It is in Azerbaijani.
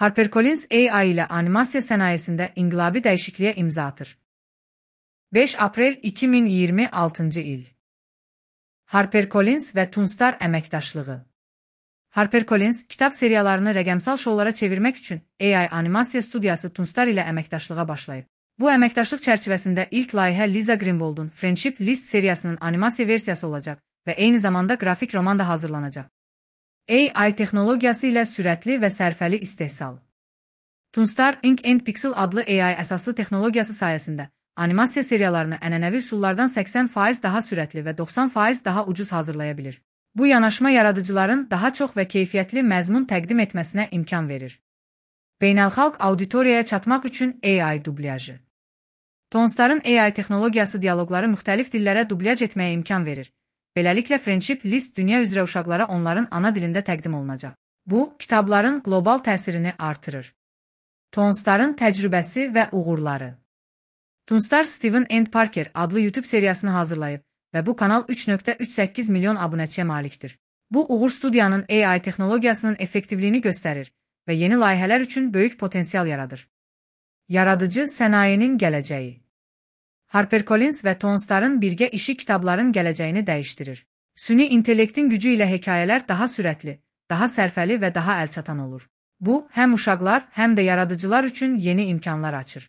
HarperCollins AI ilə animasiya sənayesində inqilabi dəyişikliyə imza atır. 5 aprel 2026 il. HarperCollins və Toonstar əməkdaşlığı. HarperCollins kitab seriyalarını rəqəmsal şoulara çevirmək üçün AI animasiya studiyası Toonstar ilə əməkdaşlığa başlayıb. Bu əməkdaşlıq çərçivəsində ilk layihə Liza Greenwald'un Friendship List seriyasının animasiya versiyası olacaq və eyni zamanda qrafik roman da hazırlanacaq. AI texnologiyası ilə sürətli və sərfəli istehsal. Toonstar Ink and Pixel adlı AI əsaslı texnologiyası sayəsində animasiya seriyalarını ənənəvi üsullardan 80% daha sürətli və 90% daha ucuz hazırlaya bilir. Bu yanaşma yaradıcıların daha çox və keyfiyyətli məzmun təqdim etməsinə imkan verir. Beynəlxalq auditoriyaya çatmaq üçün AI dublyajı. Toonstar'ın AI texnologiyası dialoqları müxtəlif dillərə dublyaj etməyə imkan verir. Beləliklə Friendship List dünya üzrə uşaqlara onların ana dilində təqdim olunacaq. Bu, kitabların qlobal təsirini artırır. Toonstar'ın təcrübəsi və uğurları. Toonstar Steven and Parker adlı YouTube seriyasını hazırlayıb və bu kanal 3.38 milyon abunəçiyə malikdir. Bu uğur studiyanın AI texnologiyasının effektivliyini göstərir və yeni layihələr üçün böyük potensial yaradır. Yaradıcı sənayenin gələcəyi. HarperCollins və Toonstar'ın birgə işi kitabların gələcəyini dəyişdirir. Süni intellektin gücü ilə hekayələr daha sürətli, daha sərfəli və daha əlçatan olur. Bu, həm uşaqlar, həm də yaradıcılar üçün yeni imkanlar açır.